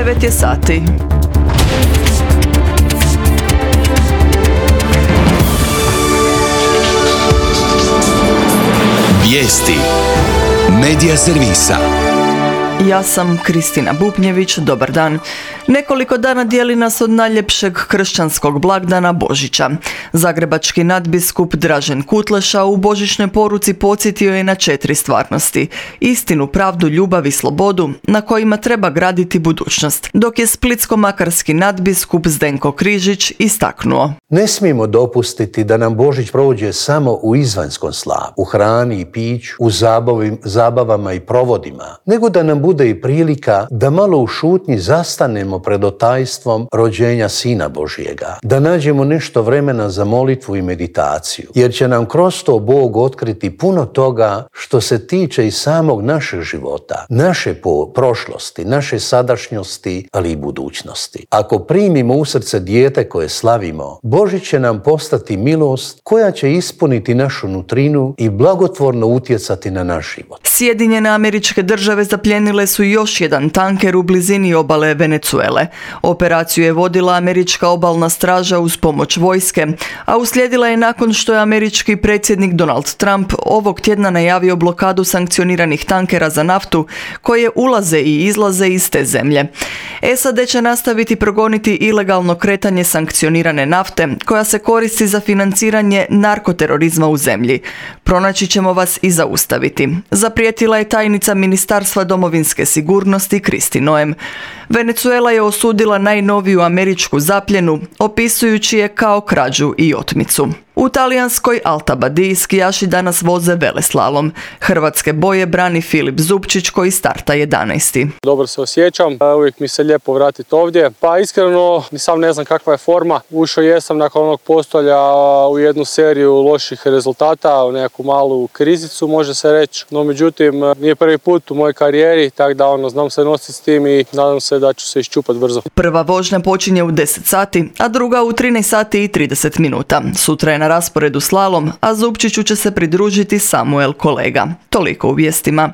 9 je sati. Vijesti Medija servisa. Ja sam Kristina Bupnjević, dobar dan. Nekoliko dana dijeli nas od najljepšeg kršćanskog blagdana Božića. Zagrebački nadbiskup Dražen Kutleša u božićnoj poruci podsjetio je na 4 stvarnosti: istinu, pravdu, ljubav i slobodu na kojima treba graditi budućnost, dok je splitsko-makarski nadbiskup Zdenko Križić istaknuo: ne smijemo dopustiti da nam Božić prođe samo u izvanjskom slavu, u hrani i piću, u zabavama i provodima, nego da nam bude i prilika da malo u šutnji zastanemo pred otajstvom rođenja Sina Božjega, da nađemo nešto vremena za molitvu i meditaciju, jer će nam kroz to Bog otkriti puno toga što se tiče i samog našeg života, naše prošlosti, naše sadašnjosti, ali i budućnosti. Ako primimo u srce dijete koje slavimo, Božić će nam postati milost koja će ispuniti našu nutrinu i blagotvorno utjecati na naš život. Sjedinjene Američke Države zapljenile su još jedan tanker u blizini obale Venezuele. Operaciju je vodila američka obalna straža uz pomoć vojske, a uslijedila je nakon što je američki predsjednik Donald Trump ovog tjedna najavio blokadu sankcioniranih tankera za naftu koje ulaze i izlaze iz te zemlje. SAD će nastaviti progoniti ilegalno kretanje sankcionirane nafte koja se koristi za financiranje narkoterorizma u zemlji. Pronaći ćemo vas i zaustaviti, zaprijetila je tajnica Ministarstva domovinske sigurnosti Kristi Noem. Venezuela je osudila najnoviju američku zapljenu, opisujući je kao krađu i otmicu. U talijanskoj Alta Badiji skijaši danas voze veleslalom. Hrvatske boje brani Filip Zupčić koji starta 11. Dobro se osjećam, uvijek mi se lijepo vratiti ovdje. Pa iskreno, ni sam ne znam kakva je forma. Ušao jesam nakon onog postolja u jednu seriju loših rezultata, u nekakvu malu krizicu može se reći. No međutim, nije prvi put u mojoj karijeri, tako da znam se nositi s tim i nadam se da ću se iščupati brzo. Prva vožnja počinje u 10 sati, a druga u 13 sati i 30 minuta. Sutra je na rasporedu slalom, a Zupčiću će se pridružiti Samuel Kolega. Toliko u vijestima.